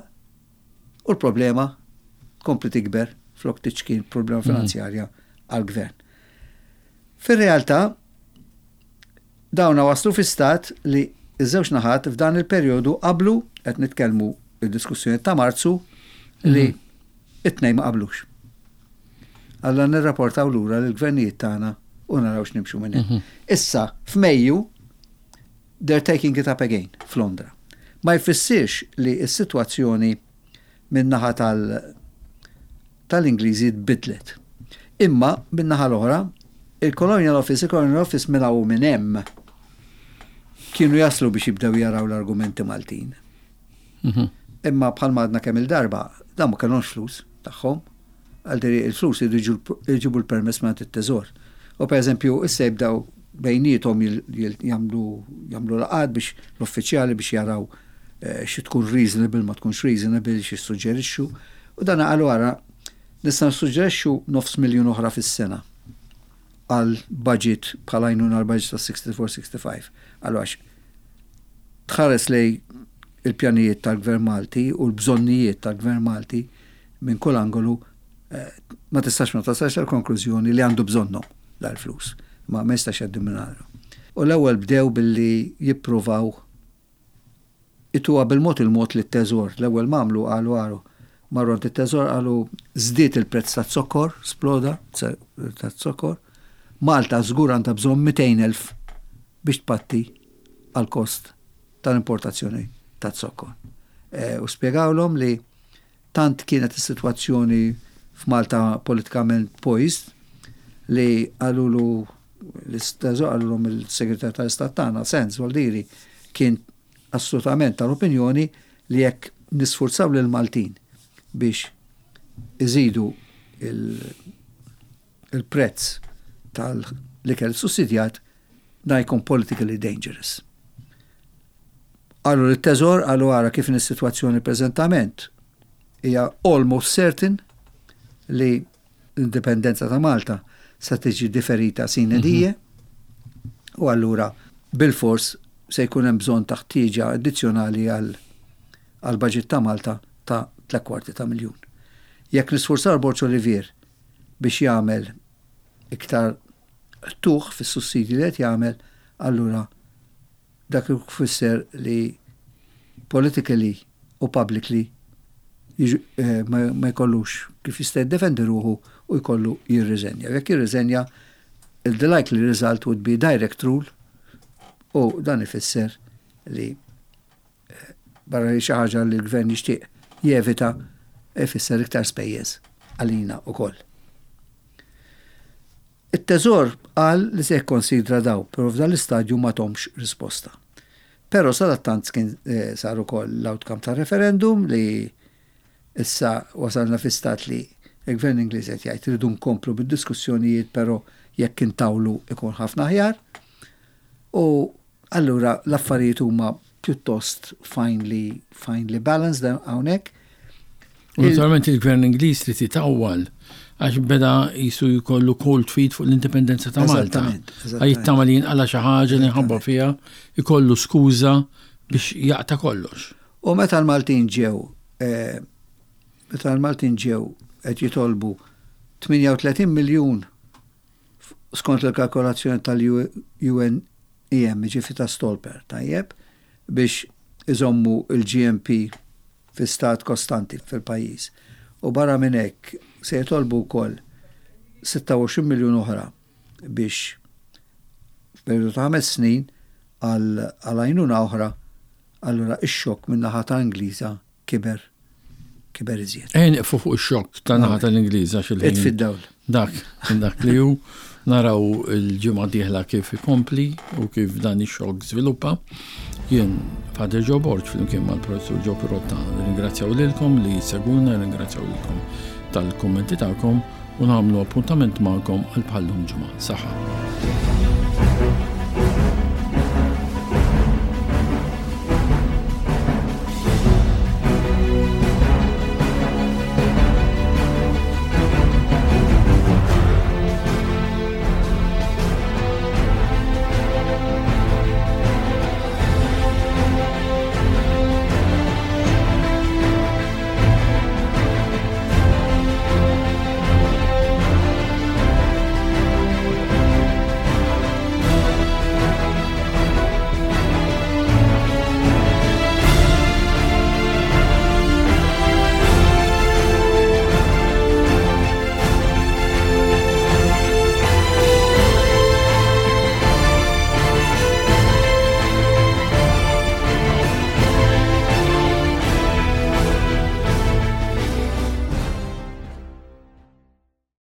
u l-problema tkompli tikber flok tiċkien problema mhm. finanzjarja għal-gvern. Fir-realtà, dawna waslu fi stat li iż-żewġ naħat f'dan il-perjodu qablu, qed nitkellmu il-diskussjoni ta' Marzu, li mhm. it-tnejn ma qablux. Alla nirrapportaw lura l-gvernijiet tagħna u naraw x'nimxu minn hemm. Mhm. Issa f'Mejju they're taking it up again f'Londra. Ma jfissirx li s-sitwazzjoni min-naħa tal tal-Ingliżi tbidlet. Imma min-naħa l-oħra, il-Colonial Office, il-Colonial Office minn hawn minn hemm kienu jaslu biex jibdew jaraw l-argumenti Maltin. Mhm. Imma bħal madna kemm il-darba, dan ma kellhomx flus tagħhom, għal il-flus jġibu l-permess minn it-teżor. U per eżempju, issa jibdew bejniethom jagħmlu jagħmlu laqgħat biex l-uffiċjali biex jaraw eh, xi tkun reasonable, ma tkunx reasonable, xi suġġerixxu. U dan qalu wara nista' nissuġġerixxu nofs miljun oħra fis-sena għal budget bħala għajnuna għal budget ta' siħstifur siħstifajf. Għallu għax tħares lej il-pjanijiet tal-Gvern Malti u l-bżonnijiet tal-Gvern Malti minn kull angolu, eh, ma tistax ma tasalx għal konklużjoni li għandu bżonnhom dal-flus. Ma ma jistax jgħaddi minn. U l-ewwel bdew billi jippruvaw ituha bil-mod il-mod li t-teżor. L-ewwel mamlu qalu għaru marru għand it-teżor, qalu żdied il-prezz ta' zokkor, sploda ta' zokkor. Malta żgur għandha bżonn mitejn elf biex tpatti għal kost tal-importazzjoni ta' zokkor. E, u spjegawlhom li tant kienet is-sitwazzjoni f'Malta politikament poised li qalulu l-isteżor, qalulhom il-Segretar tal-Istat tagħna, Sands Voldiri, kien assolutament tal-opinjoni li jekk nisfurzaw lil Maltin biex iżidu il-prezz tal-ikel sussidjat, da jkun politically dangerous. Għallu l-teżor, għallu għara kif is-sitwazzjoni preżentament hija almost certain li l-indipendenza ta' Malta se tiġi diferita sine die mm -hmm. u allura bil-fors se jkun hemm bżonn ta' ħtieġa addizzjonali għal għal budget ta' Malta ta' tliet kwarti ta' miljun. Jekk nisforzaw Borg Olivier biex jagħmel iktar tuħ fis-sussidji li qed jagħmel, allura dak ifisser li politically u publicly eh, ma jkollux kif jista' jiddefendi ruħu u jkollu jirriżenja. Jekk jirriżenja, the likely result would be direct rule u dan ifisser li eh, barra li xi ħaġa li l-gvern jixtieq jevita, ifisser iktar spejjeż għalina ukoll. It-teżor qal li se jikkonsidra daw, però f'dan l-istadju ma tahomx risposta. Però sadattant kien eh, sar ukoll l-outcome ta' referendum li issa wasalna fi stat li il-gvern Ingliż qed jgħid rridu nkomplu bid-diskussjonijiet, però jekk intawlu ikun ħafna aħjar. U allura l-affarijiet huma pjuttost finely finely balanced hawnhekk.
U naturalment il-gvern Ingliż li titawwal għax beda jisu jkollu cold feet fuq l-indipendenza ta' Malta. Għax jittama li jinqala xi ħaġa li nħabba fiha, jkollu skuża biex jaqta' kollox.
U meta l-Maltin ġew, eh, meta l-Maltin ġew qed jitolbu tmienja u tletin miljun skont il-kalkolazzjoni tal-U N E M, ġifieri ta' Stolper, tajjeb, biex iżommu il-G N P fi stat kostanti fil-pajjiż. U barra minn hekk se jitolbu wkoll sitta u għoxrin miljun oħra biex f'perjodu ta' ħames snin għal għajnuna oħra, allura ix-xokk minn naħa ta' Ingliża kiber kiber iżjed.
Ejja nieqfu fuq ix-xokk ta' naħa tal-Ingliża xil
Itfi d-dawl.
Dak, dak li hu naraw il-ġimgħa dieħla kif ikompli u kif dan ix-xokk żviluppa. Jien Father Joe Borg flimkien mal-Professur Joe Pirotta ringrazzjaw lilkom li segwuna, ringrazzjaw lilkom tal-kummenti tagħkom u nagħmlu appuntament magħkom għal bħallum ġimgħa. Saħħa.